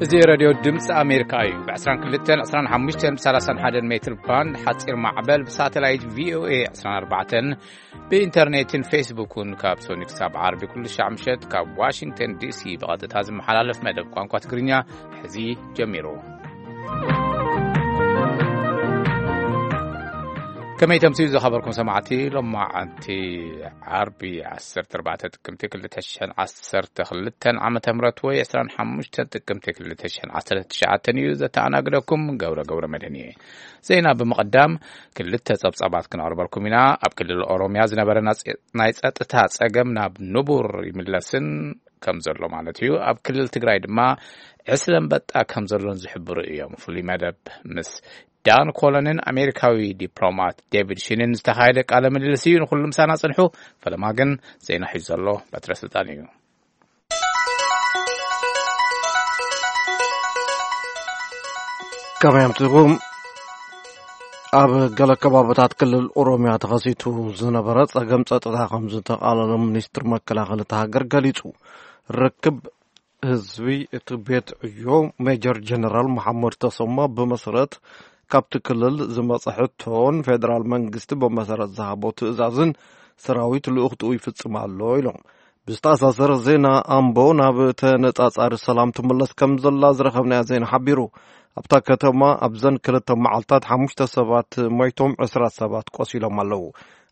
እዚ ሬድዮ ድምፂ ኣሜሪካ እዩ። ብ22፣ 25፣ 31 ሜትር ባንድ ሓፂር ማዕበል፣ ብሳተላይት ቪኦኤ 24፣ ብኢንተርኔትን ፌስቡክን ካብ ሶኒ ክሳብ ዓርቢ ኩሉ ሻዕ ምሸት ካብ ዋሽንግተን ዲሲ ብቐጥታ ዝመሓላለፍ መደብ ቋንቋ ትግርኛ ሕዚ ጀሚሩ። ከመይ ተምስዩ ዝኸበርኩም ሰማዕቲ፣ ሎማዓንቲ ዓርቢ 14 ጥቅምቲ 2012 ዓመተ ምህረት ወይ 25 ጥቅምቲ 2019 እዩ። ዘተኣናግደኩም ገብረ ገብረ መድህን እየ። ዜና ብምቕዳም ክልተ ጸብጻባት ክነቕርበልኩም ኢና። ኣብ ክልል ኦሮምያ ዝነበረ ናጽ-፣ ናይ ጸጥታ ጸገም ናብ ንቡር ይምለስን ከም ዘሎ ማለት እዩ። ኣብ ክልል ትግራይ ድማ ዕስለ ኣንበጣ ከም ዘሎን ዝሕብሩ እዮም። ፍሉይ መደብ ምስ ዳን ኮለንን ኣሜሪካዊ ዲፕሎማት ዴቪድ ሽንን ዝተኻየደ ቃለ ምልልስ እዩ። ንኹሉ ምሳና ጽንሑ። ፈለማ ግን ዜና ሒዙ ዘሎ በትረ ስልጣን እዩ። ከመይ ኣምሲኹም? ኣብ ገለ ከባብታት ክልል ኦሮምያ ተኸሲቱ ዝነበረ ጸገም ጸጥታ ከም ዝተቓለሎ ሚኒስትር መከላኸሊ እታ ሃገር ገሊጹ። ርክብ ህዝቢ እቲ ቤት ዕዮ ሜጀር ጀነራል መሓመድ ተሰማ ብመሰረት ካብቲ ክልል ዝመጸ ሕቶን ፌደራል መንግስቲ ብመሰረት ዝሃቦ ትእዛዝን ሰራዊት ልኡኽትኡ ይፍጽም ኣሎ ኢሎም። ብዝተኣሳሰር ዜና ኣምቦ ናብ ተነጻጻሪ ሰላም ትምለስ ከም ዘላ ዝረኸብናዮ ዜና ሓቢሩ። ኣብታ ከተማ ኣብዘን ክልተ መዓልታት ሓሙሽተ ሰባት ሞይቶም ዕስራ ሰባት ቆሲሎም ኣለዉ።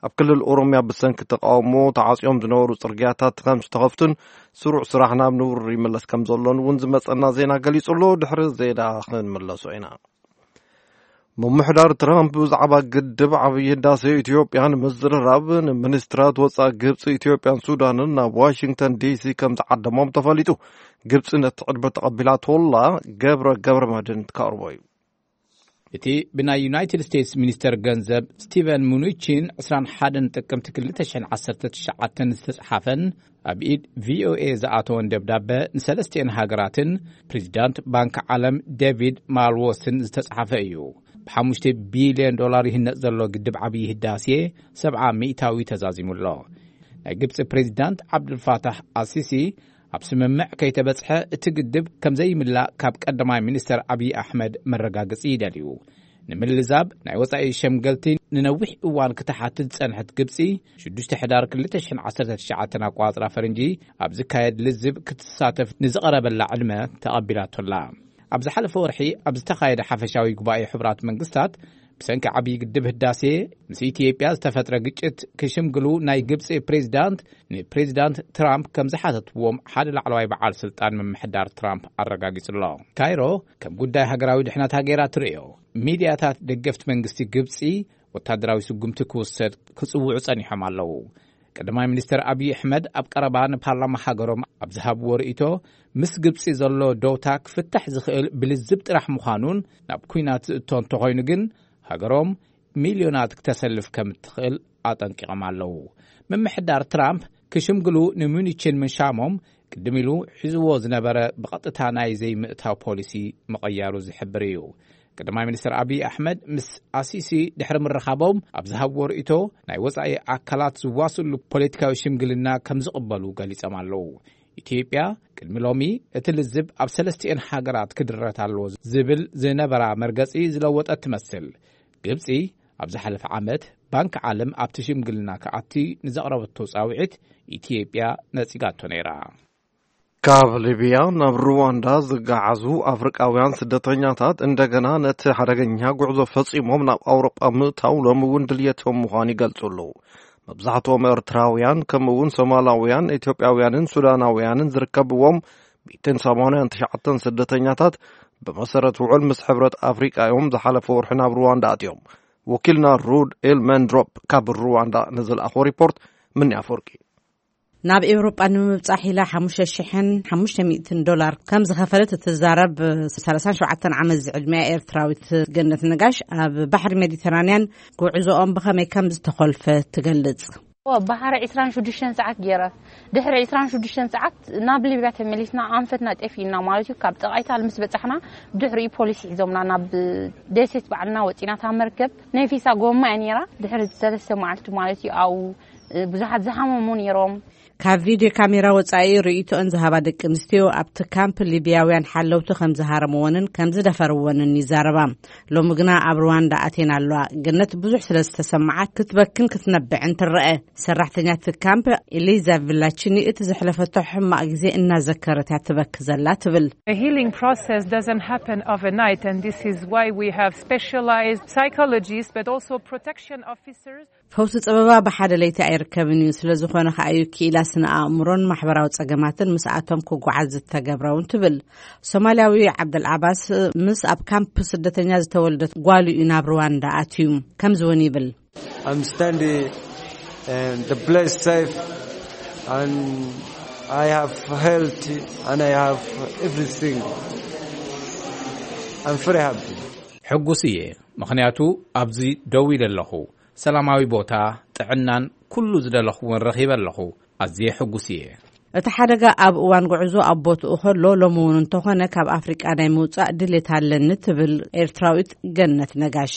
ኣብ ክልል ኦሮምያ ብሰንኪ ተቃውሞ ተዓጽዮም ዝነበሩ ጽርግያታት ከም ዝተኸፍቱን ስሩዕ ስራሕ ናብ ንቡር ይምለስ ከም ዘሎን እውን ዝመጸና ዜና ገሊጹ ኣሎ። ድሕሪ ዜና ክንምለሶ ኢና። ምምሕዳር ትራምፕ ብዛዕባ ግድብ ዓብዪ ህዳሴ ኢትዮጵያ ንምዝርራብ ንሚኒስትራት ወጻኢ ግብፂ፣ ኢትዮጵያን ሱዳንን ናብ ዋሽንግተን ዲሲ ከም ዝዓደሞም ተፈሊጡ። ግብፂ ነቲ ዕድመ ተቐቢላቶላ። ገብረ ገብረ መድህን ትካርቦ እዩ። እቲ ብናይ ዩናይትድ ስቴትስ ሚኒስተር ገንዘብ ስቲቨን ሙኑቺን 21 ጥቅምቲ 2019 ዝተጽሓፈን ኣብ ኢድ ቪኦኤ ዝኣተወን ደብዳበ ንሰለስቲኤን ሃገራትን ፕሬዚዳንት ባንክ ዓለም ዴቪድ ማልዎስን ዝተጽሓፈ እዩ። ብ5 ቢልዮን ዶላር ይህነጽ ዘሎ ግድብ ዓብዪ ህዳሴ 70% ተዛዚሙ ኣሎ። ናይ ግብጺ ፕሬዚዳንት ዓብዱልፋታሕ ኣሲሲ ኣብ ስምምዕ ከይተበጽሐ እቲ ግድብ ከም ዘይምላእ ካብ ቀዳማይ ሚኒስተር ኣብዪ ኣሕመድ መረጋገጺ ይደልዩ። ንምልዛብ ናይ ወጻኢ ሸምገልቲ ንነዊሕ እዋን ክትሓትት ዝጸንሐት ግብጺ፣ ሽዱሽተ ሕዳር 2019 ኣቋጽራ ፈረንጂ ኣብ ዝካየድ ልዝብ ክትሳተፍ ንዝቐረበላ ዕድመ ተቐቢላቶላ። ኣብ ዝሓለፈ ወርሒ ኣብ ዝተኻየደ ሓፈሻዊ ጉባኤ ሕቡራት መንግስታት፣ ብሰንኪ ዓብዪ ግድብ ህዳሴ ምስ ኢትዮጵያ ዝተፈጥረ ግጭት ክሽምግሉ ናይ ግብጺ ፕሬዚዳንት ንፕሬዚዳንት ትራምፕ ከም ዝሓተትዎም ሓደ ላዕለዋይ በዓል ስልጣን ምምሕዳር ትራምፕ ኣረጋጊጹ ኣሎ። ካይሮ ከም ጉዳይ ሃገራዊ ድሕነታ ገይራ ትርእዮ። ሚድያታት ደገፍቲ መንግስቲ ግብጺ ወታደራዊ ስጉምቲ ክውሰድ ክጽውዑ ጸኒሖም ኣለዉ። ቀዳማይ ሚኒስተር ኣብዪ ኣሕመድ ኣብ ቀረባ ንፓርላማ ሃገሮም ኣብ ዝሃብዎ ርእይቶ፣ ምስ ግብጺ ዘሎ ደውታ ክፍታሕ ዝኽእል ብልዝብ ጥራሕ ምዃኑን፣ ናብ ኲናት ዝእቶ እንተኾይኑ ግን ሃገሮም ሚልዮናት ክተሰልፍ ከም እትኽእል ኣጠንቂቖም ኣለዉ። ምምሕዳር ትራምፕ ክሽምግሉ ንሙኒችን ምሻሞም ቅድም ኢሉ ሒዝዎ ዝነበረ ብቐጥታ ናይ ዘይምእታው ፖሊሲ ምቕያሩ ዝሕብር እዩ። ቀዳማይ ሚኒስትር ኣብይ ኣሕመድ ምስ ኣሲሲ ድሕሪ ምርኻቦም ኣብ ዝሃብዎ ርእይቶ፣ ናይ ወጻኢ ኣካላት ዝዋስሉ ፖለቲካዊ ሽምግልና ከም ዝቕበሉ ገሊጾም ኣለዉ። ኢትዮጵያ ቅድሚ ሎሚ እቲ ልዝብ ኣብ ሰለስቲኤን ሃገራት ክድረት ኣለዎ ዝብል ዝነበራ መርገጺ ዝለወጠት ትመስል። ግብጺ ኣብ ዝሓለፈ ዓመት ባንክ ዓለም ኣብቲ ሽምግልና ክኣቲ ንዘቕረበቶ ጻውዒት ኢትዮጵያ ነጺጋቶ ነይራ። ካብ ሊብያ ናብ ሩዋንዳ ዝገዓዙ ኣፍሪቃውያን ስደተኛታት እንደገና ነቲ ሓደገኛ ጉዕዞ ፈጺሞም ናብ ኣውሮጳ ምእታው ሎሚ እውን ድልየቶም ምዃኑ ይገልጹ ኣለዉ። መብዛሕትኦም ኤርትራውያን ከምኡ እውን ሶማላውያን፣ ኢትዮጵያውያንን ሱዳናውያንን ዝርከብዎም 189 ስደተኛታት ብመሰረት ውዕል ምስ ሕብረት ኣፍሪቃ እዮም ዝሓለፈ ወርሒ ናብ ሩዋንዳ ኣትዮም። ወኪልና ሩድ ኤልመንድሮፕ ካብ ሩዋንዳ ንዝለኣኾ ሪፖርት ምንያ ኣፈወርቂ። ናብ ኤውሮጳ ንምብጻሕ ኢላ 5,500 ዶላር ከም ዝኸፈለት እትዛረብ 37 ዓመት ዝዕድመያ ኤርትራዊት ገነት ነጋሽ ኣብ ባሕሪ ሜዲተራንያን ጉዕዞኦም ብኸመይ ከም ዝተኾልፈ ትገልጽ። ባሕሪ 26 ሰዓት ገይረ። ድሕሪ 26 ሰዓት ናብ ሊብያ ተመሊስና፣ ኣንፈትና ጠፊእና ማለት እዩ። ካብ ጠቓይታል ምስ በጻሕና፣ ድሕሪኡ ፖሊስ ሒዞምና ናብ ደሴት ባዕልና ወጺና። እታ መርከብ ናይ ፊሳ ጎማ እያ ነይራ። ድሕሪ ሰለስተ መዓልቲ ማለት እዩ፣ ኣብኡ ብዙሓት ዝሓመሙ ነይሮም። ካብ ቪድዮ ካሜራ ወጻኢ ርእይቶኦን ዝሃባ ደቂ ኣንስትዮ፣ ኣብቲ ካምፕ ሊብያውያን ሓለውቲ ከም ዝሃረምዎንን ከም ዝደፈርዎንን ይዛረባ። ሎሚ ግና ኣብ ሩዋንዳ ኣትየን ኣለዋ። ገነት ብዙሕ ስለ ዝተሰምዓት ክትበክን ክትነብዕን ትረአ። ሰራሕተኛ እቲ ካምፕ ኤሊዛ ቪላቺኒ እቲ ዘሕለፈቶ ሕማቕ ግዜ እናዘከረት እያ ትበኪ ዘላ ትብል። The healing process doesn't happen overnight, and this is why we have specialized psychologists but also protection officers. ፈውሲ ጸበባ ብሓደ ለይቲ ኣይርከብን እዩ። ስለ ዝኾነ ከኣ እዩ ክኢላ ስነ ኣእምሮን ማሕበራዊ ጸገማትን ምስኣቶም ክጓዓዝ ዝተገብረ እውን ትብል። ሶማልያዊ ዓብደል ዓባስ ምስ ኣብ ካምፕ ስደተኛ ዝተወልደት ጓሉ እዩ ናብ ሩዋንዳ ኣትዩ። ከምዚ እውን ይብል። I'm standing and the place safe and I have health and I have everything. I'm very happy. ሕጉስ እየ፣ ምኽንያቱ ኣብዚ ደው ኢለ ኣለኹ። ሰላማዊ ቦታ፣ ጥዕናን ኩሉ ዝደለኹዎን ረኺበ ኣለኹ። ኣዝየ ሕጉስ እየ። እቲ ሓደጋ ኣብ እዋን ጉዕዞ ኣብ ቦትኡ ከሎ፣ ሎሚ እውን እንተኾነ ካብ ኣፍሪቃ ናይ ምውጻእ ድሌት ኣለኒ ትብል ኤርትራዊት ገነት ነጋሽ።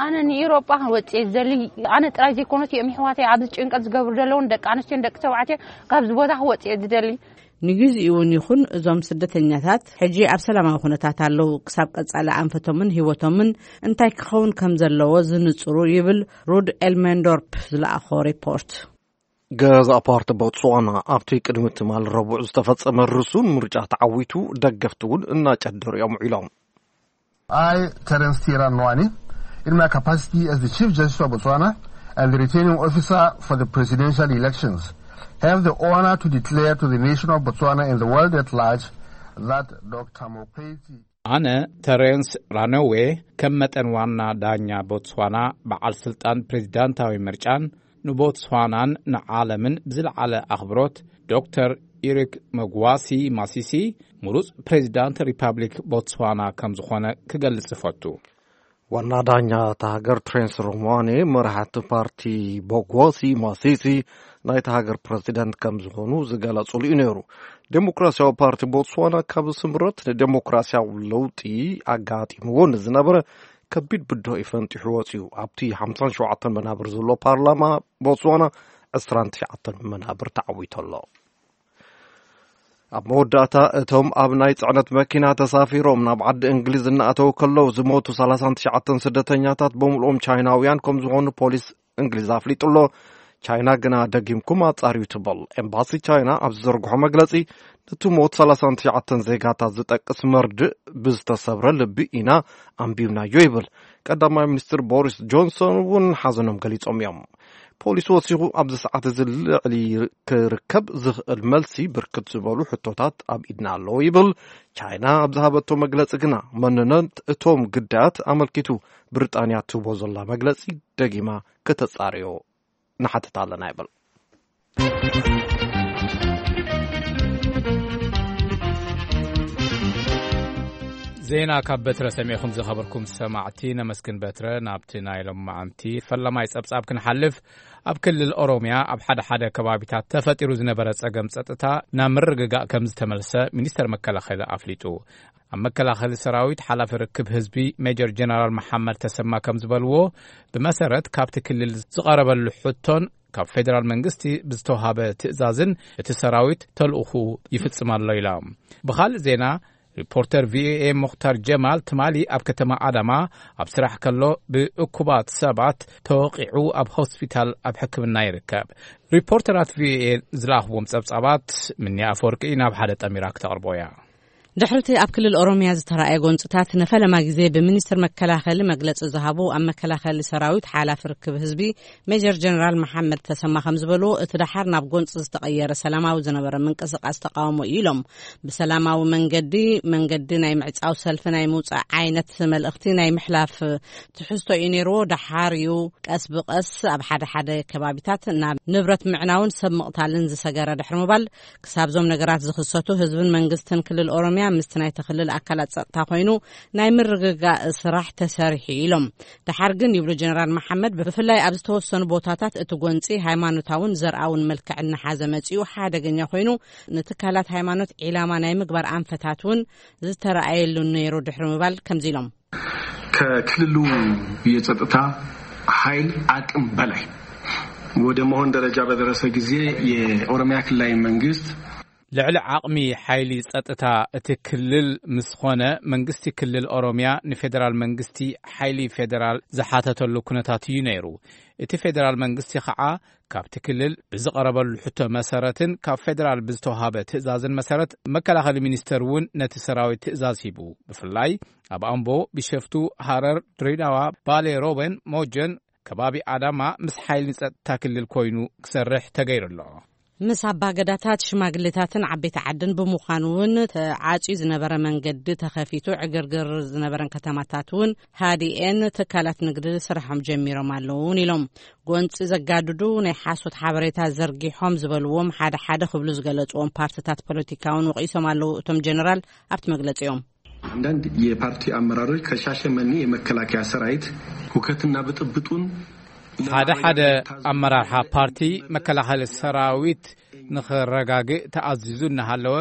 ኣነ ንኤውሮጳ ክወጽእ ዝደሊ፣ ኣነ ጥራይ ዘይኮነስ እዮም ይሕዋተይ ኣብዚ ጭንቀት ዝገብሩ ዘለውን ደቂ ኣንስትዮን ደቂ ተባዕትዮን ካብዚ ቦታ ክወጽእ ዝደሊ። ንግዚኡ እውን ይኹን እዞም ስደተኛታት ሕጂ ኣብ ሰላማዊ ኩነታት ኣለዉ። ክሳብ ቀጻሊ ኣንፈቶምን ህይወቶምን እንታይ ክኸውን ከም ዘለዎ ዝንጽሩ ይብል ሩድ ኤልሜንዶርፕ ዝለኣኾ ሪፖርት። ገዛ ፓርቲ ቦትስዋና ኣብቲ ቅድሚ ትማል ረቡዕ ዝተፈጸመ ርሱን ምርጫ ተዓዊቱ ደገፍቲ እውን እናጨደሩ እዮም ውዒሎም። I, Terence Tira Nwani, in my capacity as the Chief Justice of Botswana and the returning officer for the presidential elections, have the honor to declare to the nation of Botswana and the world at large that Doctor Mokgweetsi ኣነ ተሬንስ ራነዌ ከም መጠን ዋና ዳኛ ቦትስዋና በዓል ስልጣን ፕሬዚዳንታዊ ምርጫን ንቦትስዋናን ንዓለምን ብዝለዓለ ኣኽብሮት ዶክተር ኢሪክ መግዋሲ ማሲሲ ምሩጽ ፕሬዚዳንት ሪፓብሊክ ቦትስዋና ከም ዝኾነ ክገልጽ እፈቱ። ዋና ዳኛ እታ ሃገር ትሬንስ ሮማኔ መራሕቲ ፓርቲ ቦጎሲ ማሲሲ ናይታ ሃገር ፕረዚደንት ከም ዝኾኑ ዝገለጹሉ እዩ ነይሩ። ዴሞክራሲያዊ ፓርቲ ቦትስዋና ካብ ስምረት ንዴሞክራሲያዊ ለውጢ ኣጋጢምዎ ንዝነበረ ከቢድ ብድሆ እዩ ፈንጢሑ ወፂኡ። ኣብቲ ሓምሳን ሸውዓተን መናብር ዘሎ ፓርላማ ቦትስዋና ዕስራን ትሽዓተን መናብር ተዓዊቱ ኣሎ። ኣብ መወዳእታ እቶም ኣብ ናይ ጽዕነት መኪና ተሳፊሮም ናብ ዓዲ እንግሊዝ እናኣተው ከለዉ ዝሞቱ ሰላሳን ትሽዓተን ስደተኛታት ብምልኦም ቻይናውያን ከም ዝኾኑ ፖሊስ እንግሊዝ ኣፍሊጡ ኣሎ። ቻይና ግና ደጊምኩም ኣጻርዩ ትብል። ኤምባሲ ቻይና ኣብ ዝዘርግሖ መግለጺ፣ ነቲ ሞት ሰላሳን ትሽዓተን ዜጋታት ዝጠቅስ መርድእ ብዝተሰብረ ልቢ ኢና ኣንቢብናዮ ይብል። ቀዳማይ ሚኒስትር ቦሪስ ጆንሰን እውን ሓዘኖም ገሊጾም እዮም። ፖሊስ ወሲኹ ኣብዚ ሰዓት እዚ ልዕሊ ክርከብ ዝኽእል መልሲ ብርክት ዝበሉ ሕቶታት ኣብ ኢድና ኣለዎ ይብል። ቻይና ኣብ ዝሃበቶ መግለጺ ግና መንነት እቶም ግዳያት ኣመልኪቱ ብሪጣንያ ትህቦ ዘላ መግለጺ ደጊማ ከተጻርዮ ንሓትት ኣለና ይብል። ዜና ካብ በትረ ሰሚዕኹም ዝኸበርኩም ሰማዕቲ ነመስግን በትረ። ናብቲ ናይ ሎማዓንቲ ፈለማይ ጸብጻብ ክንሓልፍ፣ ኣብ ክልል ኦሮምያ ኣብ ሓደ ሓደ ከባቢታት ተፈጢሩ ዝነበረ ጸገም ጸጥታ ናብ ምርግጋእ ከም ዝተመልሰ ሚኒስተር መከላኸሊ ኣፍሊጡ። ኣብ መከላኸሊ ሰራዊት ሓላፊ ርክብ ህዝቢ ሜጀር ጀነራል መሓመድ ተሰማ ከም ዝበልዎ፣ ብመሰረት ካብቲ ክልል ዝቐረበሉ ሕቶን ካብ ፌደራል መንግስቲ ብዝተዋሃበ ትእዛዝን እቲ ሰራዊት ተልእኹ ይፍጽም ኣሎ ኢላ። ብኻልእ ዜና፣ ሪፖርተር ቪኦኤ ሙኽታር ጀማል ትማሊ ኣብ ከተማ ኣዳማ ኣብ ስራሕ ከሎ ብእኩባት ሰባት ተወቒዑ ኣብ ሆስፒታል ኣብ ሕክምና ይርከብ። ሪፖርተራት ቪኦኤ ዝለኣኽዎም ጸብጻባት ምንያ ኣፈወርቂ ናብ ሓደ ጠሚራ ክተቕርቦ እያ። ድሕርቲ ኣብ ክልል ኦሮምያ ዝተራእየ ጎንጽታት ንፈለማ ግዜ ብሚኒስትር መከላኸሊ መግለጺ ዝሃቡ ኣብ መከላኸሊ ሰራዊት ሓላፊ ርክብ ህዝቢ ሜጀር ጀነራል መሓመድ ተሰማ ከም ዝበልዎ፣ እቲ ደሓር ናብ ጎንጺ ዝተቐየረ ሰላማዊ ዝነበረ ምንቅስቃስ ተቃውሞ እዩ ኢሎም። ብሰላማዊ መንገዲ፣ መንገዲ ናይ ምዕጻው ሰልፊ ናይ ምውጻእ ዓይነት መልእኽቲ ናይ ምሕላፍ ትሕዝቶ እዩ ነይርዎ። ደሓር እዩ ቀስ ብቐስ ኣብ ሓደ ሓደ ከባቢታት ናብ ንብረት ምዕናውን ሰብ ምቕታልን ዝሰገረ ድሕሪ ምባል፣ ክሳብ እዞም ነገራት ዝኽሰቱ ህዝብን መንግስትን ክልል ኦሮምያ ምስቲ ናይቲ ክልል ኣካላት ጸጥታ ኮይኑ ናይ ምርግጋእ ስራሕ ተሰሪሑ ኢሎም። ደሓር ግን ይብሉ ጀነራል መሓመድ፣ ብፍላይ ኣብ ዝተወሰኑ ቦታታት እቲ ጎንጺ ሃይማኖታውን ዘርኣውን መልክዕ እናሓዘ መጺኡ ሓደገኛ ኮይኑ ንትካላት ሃይማኖት ዒላማ ናይ ምግባር ኣንፈታት እውን ዝተረኣየሉ ነይሩ ድሕሪ ምባል ከምዚ ኢሎም። ከክልሉ የጸጥታ ኃይል አቅም በላይ ወደ መሆን ደረጃ በደረሰ ጊዜ የኦሮሚያ ክልላዊ መንግስት ልዕሊ ዓቕሚ ሓይሊ ጸጥታ እቲ ክልል ምስ ኾነ፣ መንግስቲ ክልል ኦሮሚያ ንፌደራል መንግስቲ ሓይሊ ፌደራል ዝሓተተሉ ኩነታት እዩ ነይሩ። እቲ ፌደራል መንግስቲ ኸዓ ካብቲ ክልል ብዝቐረበሉ ሕቶ መሰረትን ካብ ፌደራል ብዝተዋሃበ ትእዛዝን መሰረት፣ መከላኸሊ ሚኒስተር እውን ነቲ ሰራዊት ትእዛዝ ሂቡ። ብፍላይ ኣብ ኣምቦ፣ ቢሸፍቱ፣ ሃረር፣ ድሬዳዋ፣ ባሌ ሮበን፣ ሞጀን፣ ከባቢ ኣዳማ ምስ ሓይሊ ጸጥታ ክልል ኮይኑ ክሰርሕ ተገይሩ ኣሎ። ምስ ኣባገዳታት፣ ሽማግሌታትን ዓበይቲ ዓድን ብምዃኑ እውን ተዓጽዩ ዝነበረ መንገዲ ተኸፊቱ፣ ዕግርግር ዝነበረን ከተማታት እውን ሃዲኤን፣ ትካላት ንግዲ ስራሖም ጀሚሮም ኣለውን ኢሎም። ጎንፂ ዘጋድዱ ናይ ሓሶት ሓበሬታ ዘርጊሖም ዝበልዎም ሓደ ሓደ ክብሉ ዝገለፅዎም ፓርትታት ፖለቲካ እውን ወቒሶም ኣለዉ እቶም ጀነራል ኣብቲ መግለፂኦም። አንዳንድ የፓርቲ አመራሮች ከሻሸመኔ የመከላከያ ሰራዊት ሁከትና ብጥብጡን ሓደ ሓደ ኣመራርሓ ፓርቲ መከላኸሊ ሰራዊት ንኽረጋግእ ተኣዚዙ እናሃለወ፣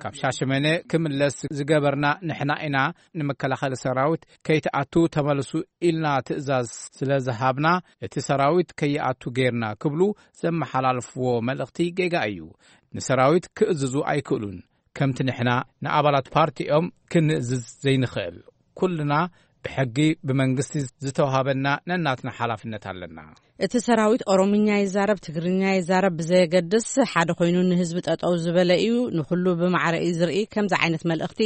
ካብ ሻሸመኔ ክምለስ ዝገበርና ንሕና ኢና፣ ንመከላኸሊ ሰራዊት ከይትኣቱ ተመልሱ ኢልና ትእዛዝ ስለ ዝሃብና፣ እቲ ሰራዊት ከይኣቱ ጌርና ክብሉ ዘመሓላልፍዎ መልእኽቲ ጌጋ እዩ። ንሰራዊት ክእዝዙ ኣይክእሉን። ከምቲ ንሕና ንኣባላት ፓርቲኦም ክንእዝዝ ዘይንኽእል፣ ኩልና ብሕጊ ብመንግስቲ ዝተዋሃበና ነናትና ሓላፍነት ኣለና። እቲ ሰራዊት ኦሮምኛ ይዛረብ፣ ትግርኛ ይዛረብ ብዘየገድስ፣ ሓደ ኮይኑ ንህዝቢ ጠጠው ዝበለ እዩ፣ ንኹሉ ብማዕረ እዩ ዝርኢ። ከምዚ ዓይነት መልእኽቲ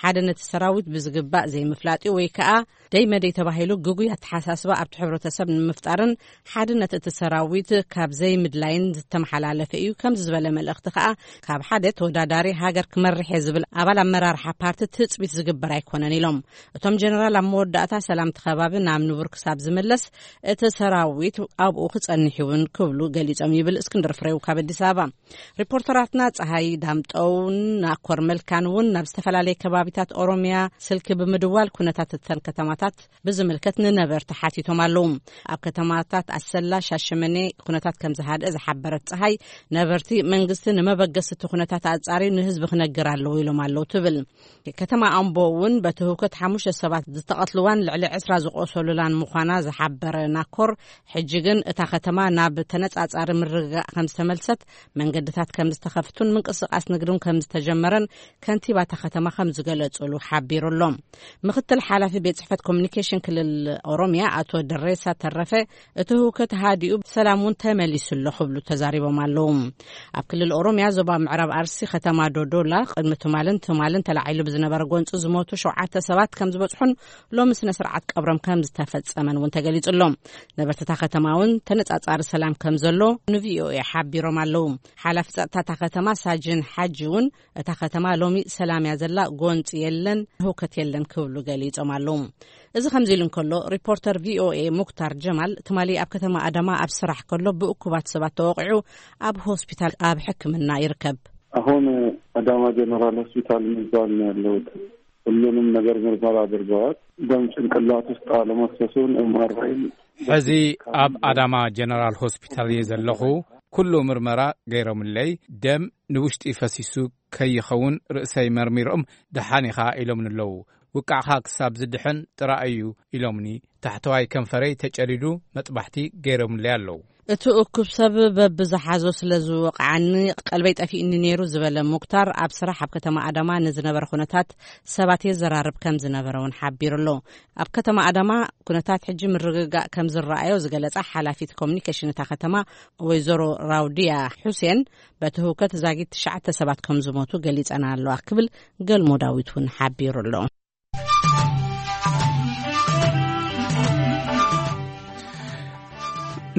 ሓደ ነቲ ሰራዊት ብዝግባእ ዘይምፍላጥ እዩ፣ ወይ ከዓ ደይ መደይ ተባሂሉ ግጉይ ኣተሓሳስባ ኣብቲ ሕብረተሰብ ንምፍጣርን ሓድነት እቲ ሰራዊት ካብ ዘይምድላይን ዝተመሓላለፈ እዩ። ከምዚ ዝበለ መልእኽቲ ከዓ ካብ ሓደ ተወዳዳሪ ሃገር ክመርሕ እየ ዝብል ኣባል ኣመራርሓ ፓርቲ ትፅቢት ዝግበር ኣይኮነን ኢሎም። እቶም ጀነራል ኣብ መወዳእታ ሰላም እቲ ከባቢ ናብ ንቡር ክሳብ ዝምለስ እቲ ሰራዊት ኣብኡ ክጸንሕ እውን ክብሉ ገሊጾም ይብል እስክንድር ፍሬው ካብ ኣዲስ ኣበባ። ሪፖርተራትና ፀሃይ ዳምጠውን ናኮር መልካን እውን ናብ ዝተፈላለየ ከባቢታት ኦሮሚያ ስልኪ ብምድዋል ኩነታት እተን ከተማታት ብዝምልከት ንነበርቲ ሓቲቶም ኣለዉ። ኣብ ከተማታት ኣሰላ፣ ሻሸመኔ ኩነታት ከም ዝሃድአ ዝሓበረት ፀሃይ፣ ነበርቲ መንግስቲ ንመበገሲ እቲ ኩነታት ኣጻርዩ ንህዝቢ ክነግር ኣለዎ ኢሎም ኣለዉ ትብል። ከተማ ኣምቦ እውን በቲ ህውከት ሓሙሽተ ሰባት ዝተቐትልዋን ልዕሊ ዕስራ ዝቆሰሉላን ምዃና ዝሓበረ ናኮር፣ ሕጂ ግን እታ ከተማ ናብ ተነጻጻሪ ምርግጋእ ከም ዝተመልሰት፣ መንገድታት ከም ዝተኸፍቱን ምንቅስቃስ ንግድን ከም ዝተጀመረን ከንቲባ እታ ከተማ ከም ዝገለጹሉ ሓቢሩ ኣሎ። ምክትል ሓላፊ ቤት ጽሕፈት ኮሚኒኬሽን ክልል ኦሮሚያ ኣቶ ደሬሳ ተረፈ፣ እቲ ህውከት ሃዲኡ ሰላም እውን ተመሊሱ ኣሎ ክብሉ ተዛሪቦም ኣለዉ። ኣብ ክልል ኦሮሚያ ዞባ ምዕራብ ኣርሲ ከተማ ዶዶላ ቅድሚ ትማልን ትማልን ተላዒሉ ብዝነበረ ጎንፂ ዝሞቱ ሸውዓተ ሰባት ከም ዝበፅሑን ሎሚ ስነ ስርዓት ቀብሮም ከም ዝተፈፀመን እውን ተገሊፁ ኣሎ። ነበርቲ እታ ከተማ እውን ተነፃፃሪ ሰላም ከም ዘሎ ንቪኦኤ ሓቢሮም ኣለዉ። ሓላፊ ፀጥታ እታ ከተማ ሳጅን ሓጂ እውን እታ ከተማ ሎሚ ሰላም እያ ዘላ፣ ጎንፂ የለን፣ ህውከት የለን ክብሉ ገሊፆም ኣለዉ። እዚ ከምዚ ኢሉ እንከሎ፣ ሪፖርተር ቪኦኤ ሙክታር ጀማል ትማሊ ኣብ ከተማ ኣዳማ ኣብ ስራሕ ከሎ ብእኩባት ሰባት ተወቒዑ ኣብ ሆስፒታል ኣብ ሕክምና ይርከብ። አሁን አዳማ ጀነራል ሆስፒታል የሚባል ነው ያለሁት። ሁሉንም ነገር ምርመራ አድርገዋል። ደም ጭንቅላት ውስጥ አለመፍሰሱን ኤምአርአይም ሕዚ ኣብ ኣዳማ ጀነራል ሆስፒታል እየ ዘለኹ። ኩሉ ምርመራ ገይሮምለይ። ደም ንውሽጢ ፈሲሱ ከይኸውን ርእሰይ መርሚሮም ደሓን ኢኻ ኢሎምኒ ኣለዉ። ውቃዕኻ ክሳብ ዝድሕን ጥራይ እዩ ኢሎምኒ። ታሕተዋይ ከንፈረይ ተጨዲዱ መጥባሕቲ ገይሮምለይ ኣለዉ። እቲ እኩብ ሰብ በብዝሓዞ ስለ ዝወቕዓኒ ቀልበይ ጠፊእኒ ነይሩ ዝበለ ሙክታር፣ ኣብ ስራሕ ኣብ ከተማ ኣዳማ ንዝነበረ ኩነታት ሰባት የዘራርብ ከም ዝነበረ እውን ሓቢሩ ኣሎ። ኣብ ከተማ ኣዳማ ኩነታት ሕጂ ምርግጋእ ከም ዝረኣዮ ዝገለጻ ሓላፊት ኮሚኒኬሽን እታ ከተማ ወይዘሮ ራውድያ ሑሴን፣ በቲ ህውከት ዛጊት ትሽዓተ ሰባት ከም ዝሞቱ ገሊጸና ኣለዋ ክብል ገልሞ ዳዊት እውን ሓቢሩ ኣሎ።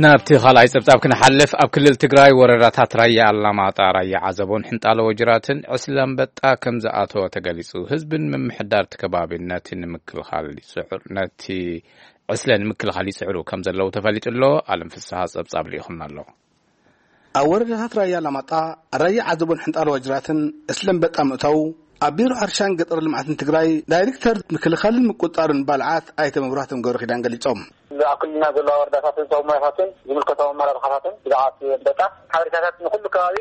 ናብቲ ካልኣይ ጸብጻብ ክንሓልፍ፣ ኣብ ክልል ትግራይ ወረዳታት ራያ ኣላማጣ፣ ራያ ዓዘቦን ሕንጣሎ ወጅራትን ዕስለ ኣንበጣ ከም ዝኣተወ ተገሊጹ። ህዝብን ምምሕዳር እቲ ከባቢ ነቲ ንምክልኻል ይጽዕሩ፣ ነቲ ዕስለ ንምክልኻል ይጽዕሩ ከም ዘለዉ ተፈሊጡ ኣሎ። ኣለም ፍስሃ ጸብጻብ ልኢኹና ኣሎ። ኣብ ወረዳታት ራያ ኣላማጣ፣ ራያ ዓዘቦን ሕንጣሎ ወጅራትን ዕስለ ኣንበጣ ምእታዉ ኣብ ቢሮ ሕርሻን ገጠር ልምዓትን ትግራይ ዳይሬክተር ምክልኻልን ምቁጽጻርን ባልዓት ኣይተ መብራህቶም ገብረ ኪዳን ገሊጾም። ኣብ ክልልና ዘለዋ ወረዳታትን ዞባታትን ዝምልከቶም ኣመራርሓታትን ብዛዕባ እቲ ኣንበጣ ሓበሬታታት ንኩሉ ከባቢ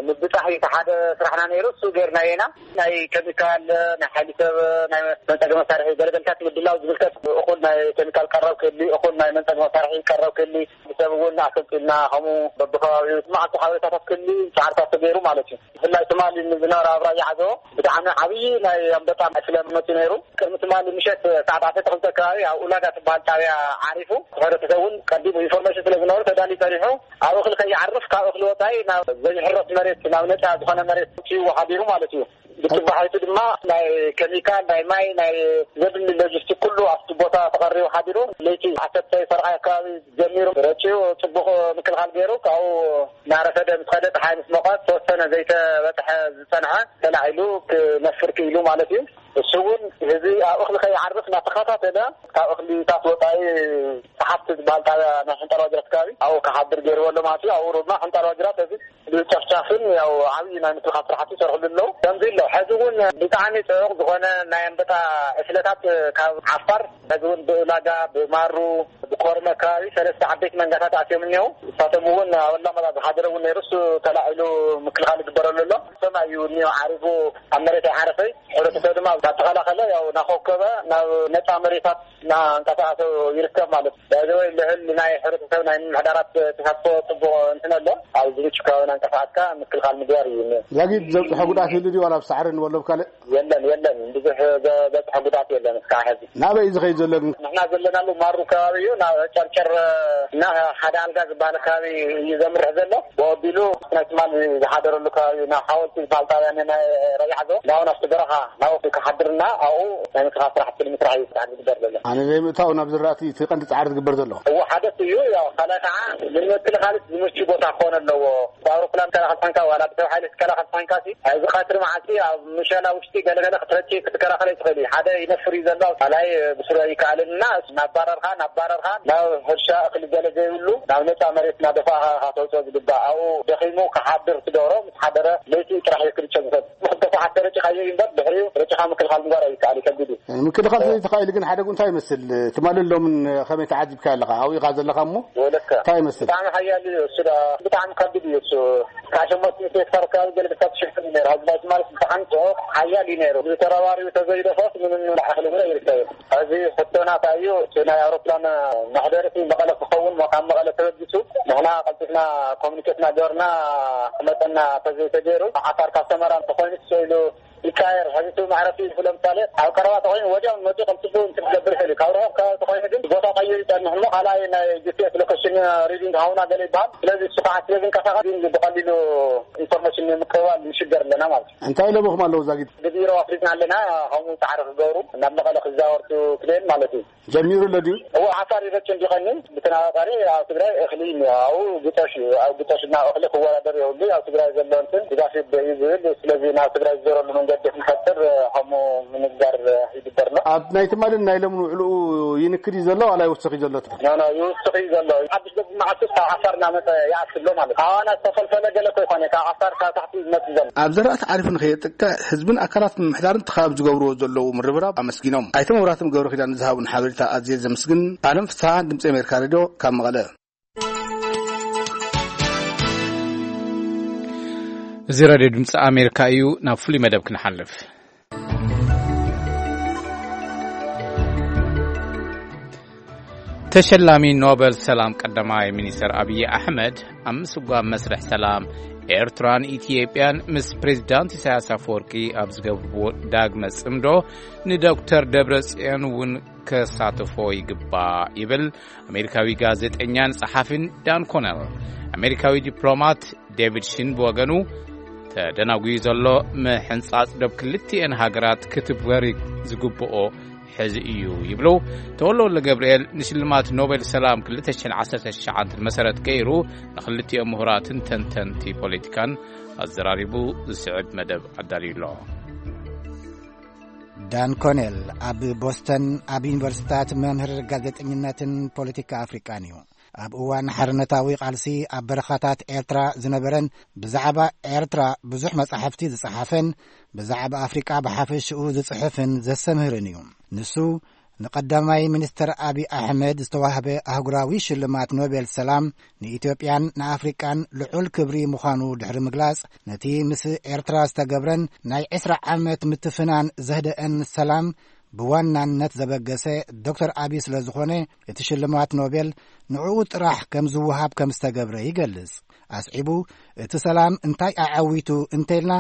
ምብጻሕ እዩ እቲ ሓደ ስራሕና ነይሩ። እሱ ጌርናዮ ኢና። ናይ ኬሚካል፣ ናይ ሓይሊ ሰብ፣ ናይ መንጸጊ መሳርሒ ገለገልታት ምድላው ዝምልከት እኹል ናይ ኬሚካል ቀረብ ክህሊ፣ እኹል ናይ መንጸጊ መሳርሒ ቀረብ ክህሊ፣ ሰብ እውን ኣሰልጢልና፣ ከምኡ በብከባቢኡ መዓልቲ ሓበሬታታት ክህሊ ጻዕርታት ተገይሩ ማለት እዩ። ብፍላይ ትማሊ ንዝነበረ ኣብ ራያ ዓዘቦ ብጣዕሚ ዓብዪ ናይ ኣንበጣ ዕስለ መፂኡ ነይሩ። ቅድሚ ትማሊ ምሸት ሰዓት ዓሰርተ ክልተ ከባቢ ኣብ ኡላጋ ትበሃል ጣብያ ዓሪፉ፣ ሕብረተሰብ እውን ቀዲሙ ኢንፎርሜሽን ስለ ዝነበሩ ተዳልዩ ጸኒሑ፣ ኣብ እኽሊ ከይዓርፍ ካብ እኽሊ ወፃኢ ናብ ዘይሕረስ መሬት፣ ናብ ነፃ ዝኾነ መሬት ውፅኡ ሓዲሩ ማለት እዩ። ብፅባሒቱ ድማ ናይ ኬሚካል፣ ናይ ማይ፣ ናይ ዘድሊ ሎጂስቲክ ኩሉ ኣብቲ ቦታ ተቐሪቡ ሓዲሩ። ለይቲ ዓሰርተ ፈረቓ ኣካባቢ ጀሚሩ ረጭዩ፣ ፅቡቕ ምክልኻል ገይሩ። ካብኡ እናረፈደ ምስ ኸደ፣ ፀሓይ ምስ ሞቐት፣ ተወሰነ ዘይተበፅሐ ዝፀንሐ ተላዒሉ ክነፍር ክኢሉ ማለት እዩ። እሱ እውን ህዝቢ ኣብ እኽሊ ከይዓርፍ እናተኸታተለ፣ ካብ እኽልታት ወፃኢ ሰሓብቲ ዝበሃል ጣብያ ናይ ሕንጣል ዋጅራት ከባቢ ኣብኡ ክሓድር ገይርዎ ኣሎ ማለት እዩ። ኣብኡ ድማ ሕንጣል ዋጅራት እዚ ብጨፍጫፍን ያው ዓብዪ ናይ ምክልኻል ስራሕቲ ይሰርሕሉ ኣለዉ። ከምዚ ኣሎ። ሕዚ እውን ብጣዕሚ ጽዑቕ ዝኾነ ናይ ኣንበጣ ዕስለታት ካብ ዓፋር፣ ሕዚ እውን ብእላጋ፣ ብማሩ፣ ብኮርመ ከባቢ ሰለስተ ዓበይቲ መንጋታት ኣትዮም እኒሄው። ንሳቶም እውን ኣብ ኣላማጣ ዝሓደረ እውን ነይሩ፣ እሱ ተላዒሉ ምክልኻል ይግበረሉ ኣሎ። ሰማይ እዩ እኒኦ ዓሪፉ፣ ኣብ መሬት ኣይዓረፈይ። ሕብረተሰብ ድማ እናተኸላኸለ ያው እናኾብኮበ ናብ ነፃ መሬታት እናንቀሳቐሰ ይርከብ ማለት እዩ። ባይዘወይ ልዕል ናይ ሕብረተሰብ ናይ ምምሕዳራት ተሳትፎ ፅቡቕ እንትን ኣሎ። ኣብ ዝምቹ ከባቢ እናንቀሳቐስካ ምክልኻል ምግባር እዩ። ዛጊድ ዘብፅሖ ጉድኣት ይህሉ ድዩ ዋላ ኣብ ሳዕሪ ንበሎ ብካልእ? የለን፣ የለን፣ ብዙሕ ዘ-፣ ዘብፅሖ ጉድኣት የለን እስካዕ ሕዚ። ናበይ እዩ ዝኸይድ ዘሎ ግን? ንሕና ዘለናሉ ማሩ ከባቢ እዩ። ናብ ጨርጨር እና ሓደ ኣልጋ ዝበሃል ከባቢ እዩ ዘምርሕ ዘሎ። ብወቢሉ ናይ ትማል ዝሓደረሉ ከባቢ ናብ ሓወልቲ ዝበሃል ጣብያ ናይ ረቢዓ ዞ ናብኡ ናብቲ በረኻ ናብኡ ክሓድርና ኣብኡ ናይ ምክልኻል ስራሕቲ ንምስራሕ እዩ ስራሕ ዝግበር ዘሎ። ኣነ ዘይምእታው ናብ ዝራእቲ እቲ ቀንዲ ጻዕሪ ዝግበር ዘሎ። እዎ ሓደስ እዩ። ያው ካልኣይ ከዓ ንምክልኻል ዝምቹ ቦታ ክኾን ኣለዎ። ብኣውሮፕላን ትከላኸል ኮይንካ ዋላ ብሰብ ሓይሊ ትከላኸል ኮይንካ ሲ፣ ኣብዚ ቀትሪ መዓልቲ ኣብ ምሸላ ውሽጢ ገለገለ ክትረጭ ክትከላኸል ኣይትኽእል እዩ። ሓደ ይነፍር እዩ ዘሎ፣ ካልኣይ ብስሩ ኣይከኣልን እና ናባረርካ ናባረርካ ናብ ሕርሻ እኽሊ ገለ ዘይብሉ ናብ ነፃ መሬት እናደፋእካ ኢኻ ተውፅኦ ዝግባእ። ኣብኡ ደኺሙ ክሓድር ትገብሮ፣ ምስ ሓደረ ለይቲ ጥራሕ እዩ ክርጨ ዝኽእል። ክልተ ሰዓት ተረጭኻዮ እዩ እምበር ድሕሪኡ ረጭኻ ምክልኻል ምግባር ኣይከኣል እዩ፣ ከቢድ እዩ። ምክልኻል ዘይተኻኢሉ ግን ሓደጉ እንታይ ይመስል? ትማልን ሎምን ከመይ ተዓዚብካ ኣለኻ? ኣብኡ ኢኻ ዘለኻ እሞ ወለካ እንታይ ይመስል? ብጣዕሚ ሓያል እዩ እሱ፣ ዳ ብጣዕሚ ከቢድ እዩ እሱ። ካብ ሸሞንተ ሚእቲ ሄክታር ከባቢ ገለ ክሳብ ትሽፍን እዩ ነይሩ። ኣብዚ ማለት ብጣዕሚ ጽዑቕ ሓያል እዩ ነይሩ። ብተረባሪቡ ተዘይደፈስ ምንም ላዕሊ እውን ኣይርከብን። እዚ ሕቶና እንታይ እዩ? እቲ ናይ ኣውሮፕላን መሕደሪ መቐለ ክኸውን ሞ ካብ መቐለ ተበጊሱ ንሕና ቀልጢፍና ኮሚኒኬት እናገበርና ክመፀና ተዘይተገይሩ ዓፋር ካብ ሰመራ እንተኾይኑ ስኢሉ ይቀያየር። ሕዚ እቲ መዕረፊ ኢሉ ለምሳሌ ኣብ ቀረባ ተኾይኑ ወዲያው መፂኡ ቀልጢፉ እንትን ክገብር ይኽእል እዩ። ካብ ርሑቕ ከባቢ ተኾይኑ ግን ቦታ ቀይሩ ይፀንሕ እሞ ካልኣይ ናይ ጂ ፒ ኤስ ሎኬሽን ሪዲንግ ሃውና ገለ ይበሃል። ስለዚ እሱ ከዓ ስለ ዝንቀሳቐስ ግን ብቐሊሉ ኢንፎርሜሽን ንምቅባል ንሽገር ኣለና ማለት እዩ። እንታይ ኢሎምኹም ኣለዉ ዛጊድ? ብቢሮ ኣፍሊጥና ኣለና፣ ከምኡ ፃዕሪ ክገብሩ ናብ መቐለ ክዛወርቱ ክልእል ማለት እዩ። ጀሚሩ ኣሎ ድዩ? እዎ፣ ዓፋር ይረጭ እንዲቐኒ ብተናፃሪ ኣብ ትግራይ እኽሊ እኒኦ፣ ኣብኡ ግጦሽ እዩ። ኣብ ግጦሽ እና እኽሊ ክወዳደር የብሉ። ኣብ ትግራይ ዘሎ እንትን ድጋፍ ይበ-፣ እዩ ዝብል። ስለዚ ናብ ትግራይ ዝዞረሉ መንገዲ ክንፈጥር ከምኡ ምንጋር ይግበርና። ኣብ ናይ ትማልን ናይ ሎምን ውዕልኡ ይንክድ እዩ ዘሎ ዋላ ይውስኽ እዩ ዘሎ? ኖ፣ ኖ፣ ይውስኽ እዩ ዘሎ። ሓድሽ ገጽ መዓልቲ ካብ ዓፋር እናመጸ ይኣቱ ኣሎ ማለት እዩ። ኣዋና ዝተፈልፈለ ገለ እኮ ይኾነ፣ ካብ ዓፋር ካብ ታሕቲ ዝመጽእ ዘሎ። ኣብ ዘራእቲ ዓሪፉ ንኸየጥቅዕ ህዝብን ኣካላት ምምሕዳርን ተኻብ ዝገብርዎ ዘለዉ ምርብራብ ኣመስጊኖም። ኣይተ መብራህቶም ገብረ ኪዳን ዝሃቡን ሓበሬታ ኣዝየ ዘመስግን። ኣለም ፍስሓ፣ ድምፂ ኣሜሪካ ሬድዮ፣ ካብ መቐለ። እዚ ሬድዮ ድምፂ ኣሜሪካ እዩ። ናብ ፍሉይ መደብ ክንሓልፍ። ተሸላሚ ኖበል ሰላም ቀዳማይ ሚኒስተር ኣብይ ኣሕመድ ኣብ ምስጓም መስርሕ ሰላም ኤርትራን ኢትዮጵያን ምስ ፕሬዚዳንት ኢሳያስ ኣፈወርቂ ኣብ ዝገብርዎ ዳግመ ጽምዶ ንዶክተር ደብረጽዮን እውን ከሳትፎ ይግባእ ይብል ኣሜሪካዊ ጋዜጠኛን ጸሓፊን ዳን ኮነል። ኣሜሪካዊ ዲፕሎማት ዴቪድ ሽን ብወገኑ፣ ተደናጉዩ ዘሎ ምሕንጻጽ ዶብ ክልቲኤን ሃገራት ክትግበር ዝግብኦ ሕዚ እዩ ይብሉ። ተወልደ ወልደ ገብርኤል ንሽልማት ኖቤል ሰላም ክልተ ሽሕን ዓሰርተ ትሽዓን መሰረት ገይሩ ንክልቲኦም ምሁራትን ተንተንቲ ፖለቲካን ኣዘራሪቡ ዝስዕብ መደብ ኣዳልዩ ኣሎ። ዳን ኮኔል ኣብ ቦስተን ኣብ ዩኒቨርሲታት መምህር ጋዜጠኝነትን ፖለቲካ ኣፍሪቃን እዩ። ኣብ እዋን ሓርነታዊ ቃልሲ ኣብ በረኻታት ኤርትራ ዝነበረን ብዛዕባ ኤርትራ ብዙሕ መጻሕፍቲ ዝጸሓፈን ብዛዕባ ኣፍሪቃ ብሓፈሽኡ ዝጽሕፍን ዘስተምህርን እዩ። ንሱ ንቀዳማይ ሚኒስተር ኣቢ ኣሕመድ ዝተዋህበ ኣህጉራዊ ሽልማት ኖቤል ሰላም ንኢትዮጵያን ንኣፍሪቃን ልዑል ክብሪ ምዃኑ ድሕሪ ምግላጽ፣ ነቲ ምስ ኤርትራ ዝተገብረን ናይ ዕስራ ዓመት ምትፍናን ዘህደአን ሰላም ብዋናነት ዘበገሰ ዶክተር ኣቢ ስለ ዝኾነ፣ እቲ ሽልማት ኖቤል ንዕኡ ጥራሕ ከም ዝወሃብ ከም ዝተገብረ ይገልጽ። ኣስዒቡ፣ እቲ ሰላም እንታይ ኣዐዊቱ እንተኢልና፣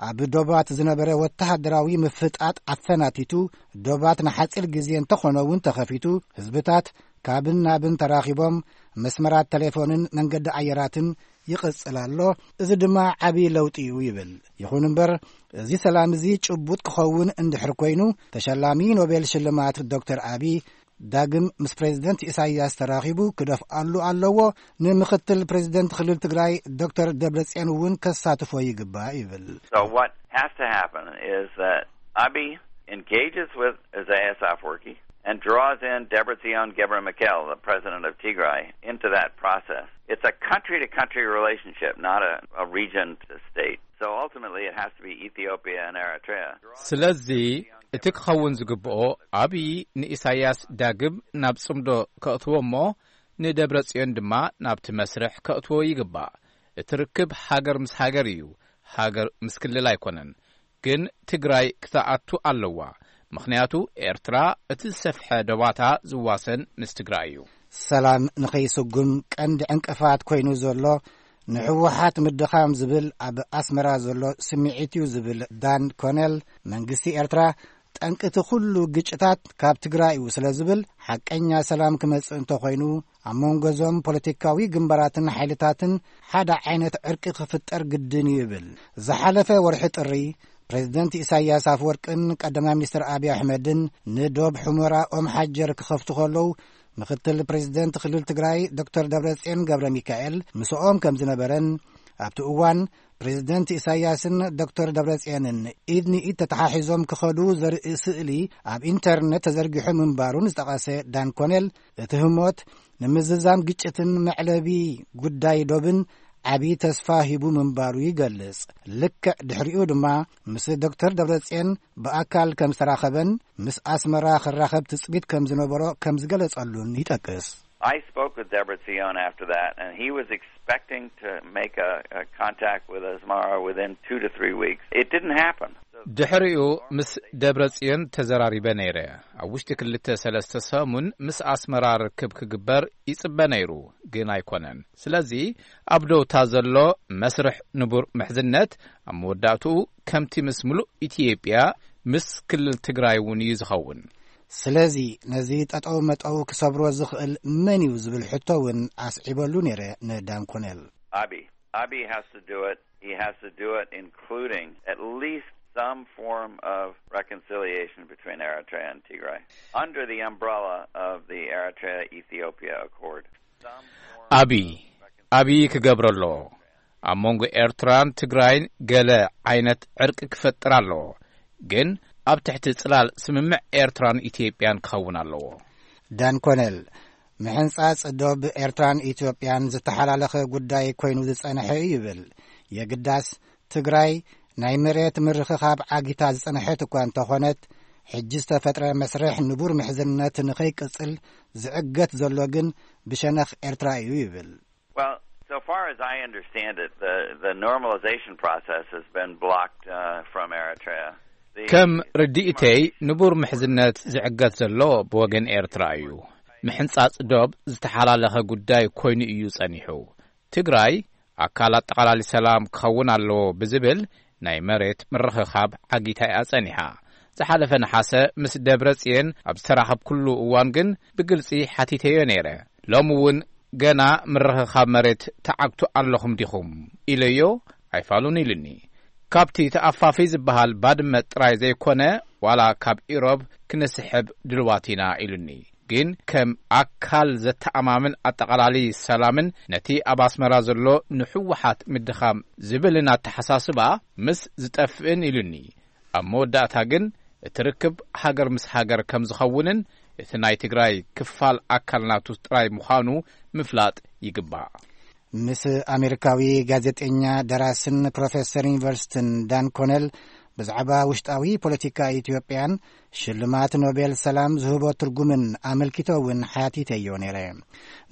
ኣብ ዶባት ዝነበረ ወተሃደራዊ ምፍጣጥ ኣፈናቲቱ፣ ዶባት ንሓጺር ግዜ እንተኾነ እውን ተኸፊቱ፣ ህዝብታት ካብን ናብን ተራኺቦም፣ መስመራት ተሌፎንን መንገዲ ኣየራትን ይቕጽል ኣሎ። እዚ ድማ ዓቢ ለውጢ እዩ ይብል። ይኹን እምበር፣ እዚ ሰላም እዚ ጭቡጥ ክኸውን እንድሕር ኮይኑ፣ ተሸላሚ ኖቤል ሽልማት ዶክተር ኣቢ ዳግም ምስ ፕሬዚደንት ኢሳይያስ ተራኺቡ ክደፍኣሉ ኣለዎ። ንምክትል ፕሬዚደንት ክልል ትግራይ ዶክተር ደብረጽዮን እውን ከሳትፎ ይግባእ ይብል። So what has to happen is that Abiy engages with Isaias Afwerki and draws in Debretsion Gebremichael, the president of Tigray, into that process. It's a country-to-country relationship, not a, a region-to-state. So ultimately, it has to be Ethiopia and Eritrea. ስለዚ እቲ ክኸውን ዝግብኦ፣ ኣብዪ ንኢሳያስ ዳግም ናብ ጽምዶ ከእትዎ እሞ፣ ንደብረ ጽዮን ድማ ናብቲ መስርሕ ከእትዎ ይግባእ። እቲ ርክብ ሃገር ምስ ሃገር እዩ፣ ሃገር ምስ ክልል ኣይኮነን። ግን ትግራይ ክትኣቱ ኣለዋ፣ ምኽንያቱ ኤርትራ እቲ ዝሰፍሐ ዶባታ ዝዋሰን ምስ ትግራይ እዩ። ሰላም ንኸይስጉም ቀንዲ ዕንቅፋት ኮይኑ ዘሎ ንህወሓት ምድኻም ዝብል ኣብ ኣስመራ ዘሎ ስምዒት እዩ ዝብል ዳን ኮነል፣ መንግስቲ ኤርትራ ጠንቂ እቲ ኩሉ ግጭታት ካብ ትግራይ እዩ ስለ ዝብል፣ ሓቀኛ ሰላም ክመጽእ እንተኾይኑ ኣብ መንጎ እዞም ፖለቲካዊ ግንባራትን ሓይልታትን ሓደ ዓይነት ዕርቂ ክፍጠር ግድን እዩ ይብል። ዝሓለፈ ወርሒ ጥሪ ፕሬዚደንት ኢሳያስ ኣፍወርቅን ቀዳማይ ሚኒስትር ኣብይ ኣሕመድን ንዶብ ሑመራ ኦም ሓጀር ክኸፍቱ ከለዉ፣ ምክትል ፕሬዚደንት ክልል ትግራይ ዶክተር ደብረጽዮን ገብረ ሚካኤል ምስኦም ከም ዝነበረን፣ ኣብቲ እዋን ፕሬዚደንት ኢሳያስን ዶክተር ደብረጽዮንን ኢድ ንኢድ ተተሓሒዞም ክኸዱ ዘርኢ ስእሊ ኣብ ኢንተርነት ተዘርጊሑ ምንባሩን ዝጠቐሰ ዳን ኮኔል፣ እቲ ህሞት ንምዝዛም ግጭትን መዕለቢ ጉዳይ ዶብን ዓቢ ተስፋ ሂቡ ምንባሩ ይገልጽ። ልክዕ ድሕሪኡ ድማ ምስ ዶክተር ደብረጽዮን ብኣካል ከም ዝተራኸበን ምስ ኣስመራ ክራኸብ ትጽቢት ከም ዝነበሮ ከም ዝገለጸሉን ይጠቅስ። I spoke with Debretsion after that, and he was expecting to make a, a contact with Asmara within two to three weeks. It didn't happen. ድሕሪኡ ምስ ደብረ ጽዮን ተዘራሪበ ነይረ። ኣብ ውሽጢ ክልተ ሰለስተ ሰሙን ምስ ኣስመራ ርክብ ክግበር ይጽበ ነይሩ፣ ግን ኣይኮነን። ስለዚ ኣብ ደውታ ዘሎ መስርሕ ንቡር ምሕዝነት ኣብ መወዳእትኡ ከምቲ ምስ ምሉእ ኢትዮጵያ ምስ ክልል ትግራይ እውን እዩ ዝኸውን። ስለዚ ነዚ ጠጠው መጠው ክሰብሮ ዝኽእል መን እዩ ዝብል ሕቶ እውን ኣስዒበሉ ነይረ ንዳን ኮኔል። Abiy. Abiy has to do it. He has to do it, including at least some form of reconciliation between Eritrea and Tigray under the umbrella of the Eritrea-Ethiopia Accord. Some form ኣብይ ኣብይ ክገብሮ ኣለዎ። ኣብ መንጎ ኤርትራን ትግራይን ገለ ዓይነት ዕርቂ ክፈጥር ኣለዎ፣ ግን ኣብ ትሕቲ ጽላል ስምምዕ ኤርትራን ኢትዮጵያን ክኸውን ኣለዎ። ዳን ኮነል፣ ምሕንጻጽ ዶብ ኤርትራን ኢትዮጵያን ዝተሓላለኸ ጉዳይ ኮይኑ ዝጸንሐ እዩ ይብል። የግዳስ ትግራይ ናይ መሬት ምርኽኻብ ዓጊታ ዝጸንሐት እኳ እንተኾነት፣ ሕጂ ዝተፈጥረ መስርሕ ንቡር ምሕዝነት ንኸይቅጽል ዝዕገት ዘሎ ግን ብሸነኽ ኤርትራ እዩ ይብል። Well, so far as I understand it, the, the normalization process has been blocked uh, from Eritrea. The- ከም ርድኢተይ ንቡር ምሕዝነት ዝዕገት ዘሎ ብወገን ኤርትራ እዩ። ምሕንጻጽ ዶብ ዝተሓላለኸ ጉዳይ ኮይኑ እዩ ጸኒሑ። ትግራይ ኣካል ኣጠቓላሊ ሰላም ክኸውን ኣለዎ ብዝብል ናይ መሬት ምርኽኻብ ዓጊታ እያ ጸኒሓ። ዝሓለፈ ነሓሰ ምስ ደብረ ጽዮን ኣብ ዝተራኸብኩሉ እዋን ግን ብግልጺ ሓቲተዮ ነይረ። ሎሚ እውን ገና ምርኽኻብ መሬት ተዓግቱ ኣለኹም ዲኹም ኢለዮ፣ ኣይፋሉን ኢሉኒ። ካብቲ ተኣፋፊ ዝበሃል ባድመ ጥራይ ዘይኮነ፣ ዋላ ካብ ኢሮብ ክንስሕብ ድልዋት ኢና ኢሉኒ። ግን ከም ኣካል ዘተኣማምን ኣጠቓላሊ ሰላምን ነቲ ኣብ ኣስመራ ዘሎ ንህወሓት ምድኻም ዝብልን ኣተሓሳስባ ምስ ዝጠፍእን ኢሉኒ። ኣብ መወዳእታ ግን እቲ ርክብ ሃገር ምስ ሃገር ከም ዝኸውንን እቲ ናይ ትግራይ ክፋል ኣካል ናቱ ጥራይ ምዃኑ ምፍላጥ ይግባእ። ምስ ኣሜሪካዊ ጋዜጠኛ፣ ደራስን ፕሮፌሰር ዩኒቨርሲቲን ዳን ኮነል ብዛዕባ ውሽጣዊ ፖለቲካ ኢትዮጵያን ሽልማት ኖቤል ሰላም ዝህቦ ትርጉምን ኣመልኪተ እውን ሓቲተዮ ነይረ።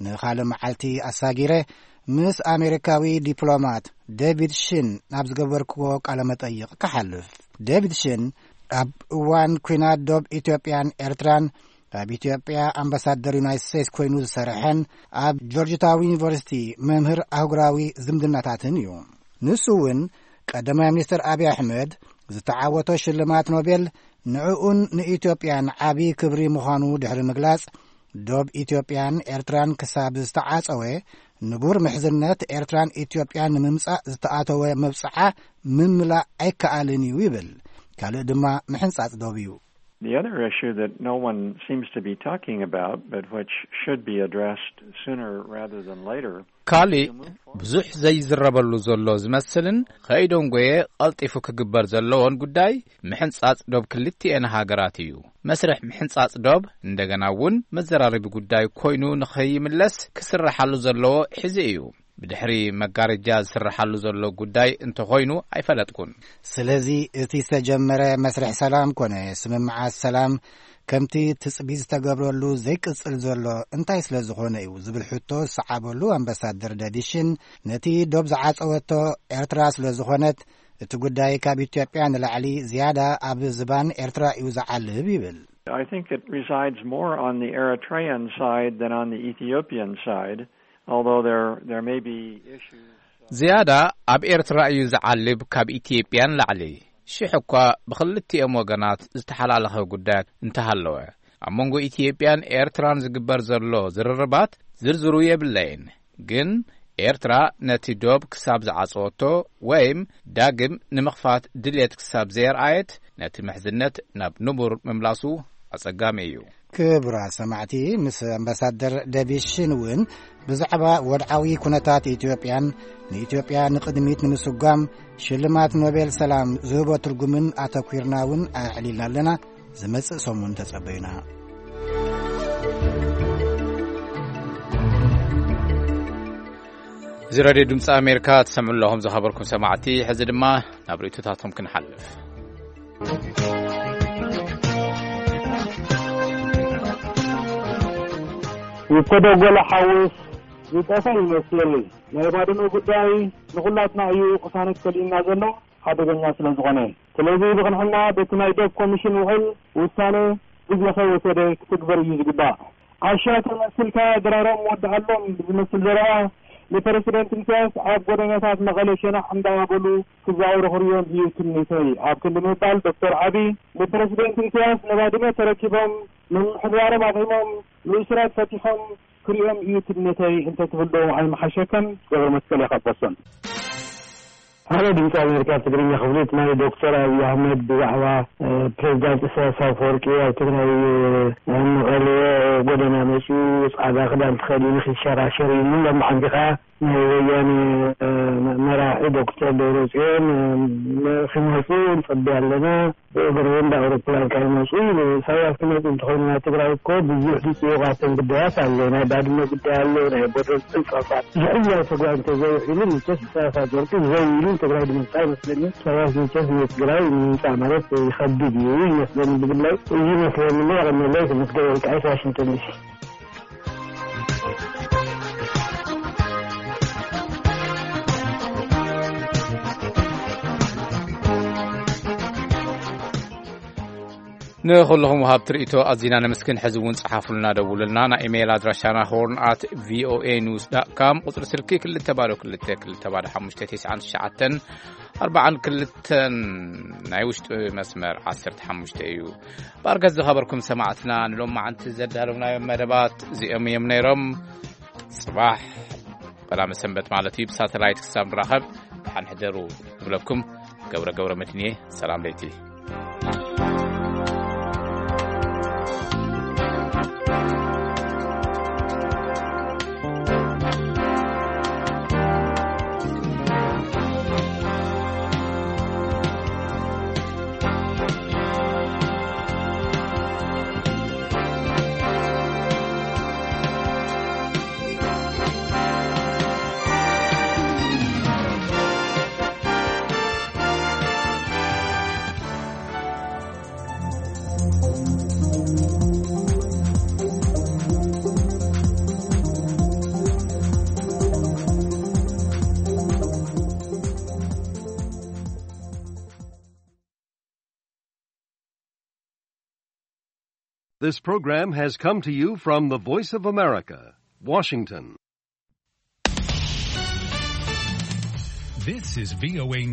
ንኻልእ መዓልቲ ኣሳጊረ ምስ ኣሜሪካዊ ዲፕሎማት ዴቪድ ሽን ናብ ዝገበርክዎ ቃለ መጠይቕ ክሓልፍ። ዴቪድ ሽን ኣብ እዋን ኲናት ዶብ ኢትዮጵያን ኤርትራን ኣብ ኢትዮጵያ ኣምባሳደር ዩናይትድ ስቴትስ ኮይኑ ዝሰርሐን ኣብ ጆርጅ ታውን ዩኒቨርሲቲ መምህር ኣህጉራዊ ዝምድናታትን እዩ። ንሱ እውን ቀዳማይ ሚኒስትር ኣብይ ኣሕመድ ዝተዓወቶ ሽልማት ኖቤል ንዕኡን ንኢትዮጵያን ዓቢ ክብሪ ምዃኑ ድሕሪ ምግላጽ፣ ዶብ ኢትዮጵያን ኤርትራን ክሳብ ዝተዓጸወ ንቡር ምሕዝነት ኤርትራን ኢትዮጵያን ንምምጻእ ዝተኣተወ መብጽዓ ምምላእ ኣይከኣልን እዩ ይብል። ካልእ ድማ ምሕንጻጽ ዶብ እዩ። The other issue that no one seems to be talking about, but which should be addressed sooner rather than later, ካልእ ብዙሕ ዘይዝረበሉ ዘሎ ዝመስልን ከይደንጎየ ቀልጢፉ ክግበር ዘለዎን ጉዳይ ምሕንጻጽ ዶብ ክልቲኤን ሃገራት እዩ። መስርሕ ምሕንጻጽ ዶብ እንደገና እውን መዘራረቢ ጉዳይ ኮይኑ ንኸይምለስ ክስረሓሉ ዘለዎ ሕዚ እዩ። ብድሕሪ መጋረጃ ዝስረሓሉ ዘሎ ጉዳይ እንተኾይኑ ኣይፈለጥኩን። ስለዚ እቲ ዝተጀመረ መስርሕ ሰላም ኮነ ስምምዓት ሰላም ከምቲ ትጽቢት ዝተገብረሉ ዘይቅጽል ዘሎ እንታይ ስለ ዝኾነ እዩ ዝብል ሕቶ ዝሰዓበሉ ኣምባሳደር ዴቪድ ሽን፣ ነቲ ዶብ ዝዓጸወቶ ኤርትራ ስለ ዝኾነት እቲ ጉዳይ ካብ ኢትዮጵያ ንላዕሊ ዝያዳ ኣብ ዝባን ኤርትራ እዩ ዝዓልብ ይብል። I think it resides more on the Eritrean side than on the Ethiopian side, although there, there may be issues. ዝያዳ ኣብ ኤርትራ እዩ ዝዓልብ ካብ ኢትዮጵያን ላዕሊ። ሽሕ እኳ ብኽልቲኦም ወገናት ዝተሓላለኸ ጉዳያት እንተሃለወ፣ ኣብ መንጎ ኢትዮጵያን ኤርትራን ዝግበር ዘሎ ዝርርባት ዝርዝሩ የብለይን። ግን ኤርትራ ነቲ ዶብ ክሳብ ዝዓጸወቶ ወይም ዳግም ንምኽፋት ድልየት ክሳብ ዘየርኣየት፣ ነቲ ምሕዝነት ናብ ንቡር ምምላሱ ኣጸጋሚ እዩ። ክቡራት ሰማዕቲ፣ ምስ ኣምባሳደር ዴቪድ ሽን እውን ብዛዕባ ወድዓዊ ኩነታት ኢትዮጵያን ንኢትዮጵያ ንቕድሚት ንምስጓም ሽልማት ኖቤል ሰላም ዝህቦ ትርጉምን ኣተኲርና እውን ኣዕሊልና ኣለና። ዝመጽእ ሰሙን ተጸበዩና። እዚ ሬድዮ ድምፂ ኣሜሪካ ትሰምዑ ኣለኹም ዝኸበርኩም ሰማዕቲ። ሕዚ ድማ ናብ ርእይቶታቶም ክንሓልፍ። ይኮደጎለ ሓውስ ዝጠፈ ይመስል። ናይ ባድመ ጉዳይ ንኹላትና እዩ ቅሳነት ከሊእና ዘሎ ሓደገኛ ስለ ዝኾነ። ስለዚ ብቕንዕና በቲ ናይ ዶብ ኮሚሽን ውዕል ውሳነ ግዜ ከይወሰደ ክትግበር እዩ ዝግባእ። ዓሻ ተመሲልካ ድራሮም ወድኣሎም ብዝመስል ዘረባ ንፕረሲደንት ኢሳያስ ኣብ ጎደናታት መቐለ ሸናዕ እንዳበሉ ክዛወሩ ክርእዮም እዩ ትምኒተይ። ኣብ ክንዲ ምባል ዶክተር ዓቢ ንፕረሲደንት ኢሳያስ ንባድመ ተረኪቦም ምምሕዳሮም ኣቕሪሞም ንእሱራት ፈቲሖም ክርእዮም እዩ ትምኒተይ እንተትብል ዶ ኣይምሓሸከን? ገብረ መስቀል እየ ካብ ቦስተን። ሃሎ ድምፂ ኣሜሪካ ትግርኛ ክፍሊት፣ ናይ ዶክተር ኣብይ ኣሕመድ ብዛዕባ ፕሬዚዳንት ኢሳያስ ኣፈወርቂ ኣብ ትግራይ መቐለ ጎደና መፂኡ ፃዕዳ ክዳን ተኸዲኑ ክሸራሸር እዩ ሎም ዓንዲ ከዓ ናይ ወያኔ መራሒ ዶክተር ደብረፅዮን ክመፁ ንፅበ ኣለና። ብእግሪ እንዳ ኣውሮፕላን ካብ ይመፁ ኢሉ። ኢሳያስ ክመፁ እንተኾይኑ ናብ ትግራይ እኮ ብዙሕ ዝፅውቓቶም ጉዳያት ኣሎ። ናይ ባድመ ጉዳይ ኣሎ፣ ናይ ቦርደር ፅንፀፋት ዝሕያል ተጓ እንተዘይውዒሉ መቸስ ኢሳያስ ኣፈወርቂ ዘው ኢሉ ንትግራይ ድመፅእ ኣይመስለኒ። ኢሳያስ መቸስ ንትግራይ ንምምፃእ ማለት ይኸብድ እዩ ይመስለኒ ብግላይ። እዚ ይመስለኒ እሞ የቐንየለይ። ክምስገን ወልቃይት ዋሽንግተን ዲሲ። ንኹልኹም ወሃብቲ ርእይቶ ኣዚና ነመስግን። ሕዚ እውን ጸሓፉልና፣ ደውሉልና። ናይ ኢሜይል ኣድራሻና ሆርን ኣት ቪኦኤ ኒውስ ዳት ካም፣ ቁጽሪ ስልኪ ክልተ ባዶ ክልተ ክልተ ባዶ ሓሙሽተ ተስዓን ትሽዓተን ኣርባዓን ክልተን፣ ናይ ውሽጢ መስመር ዓሰርተ ሓሙሽተ እዩ። ባርከት ዝኸበርኩም ሰማዕትና፣ ንሎማዓንቲ ዘዳለውናዮም መደባት እዚኦም እዮም ነይሮም። ጽባሕ ቀዳመ ሰንበት ማለት እዩ፣ ብሳተላይት ክሳብ ንራኸብ ደሓን ሕደሩ እብለኩም። ገብረ ገብረ መድህን እየ። ሰላም ለይቲ። This program has come to you from the Voice of America, Washington. This is V O A News.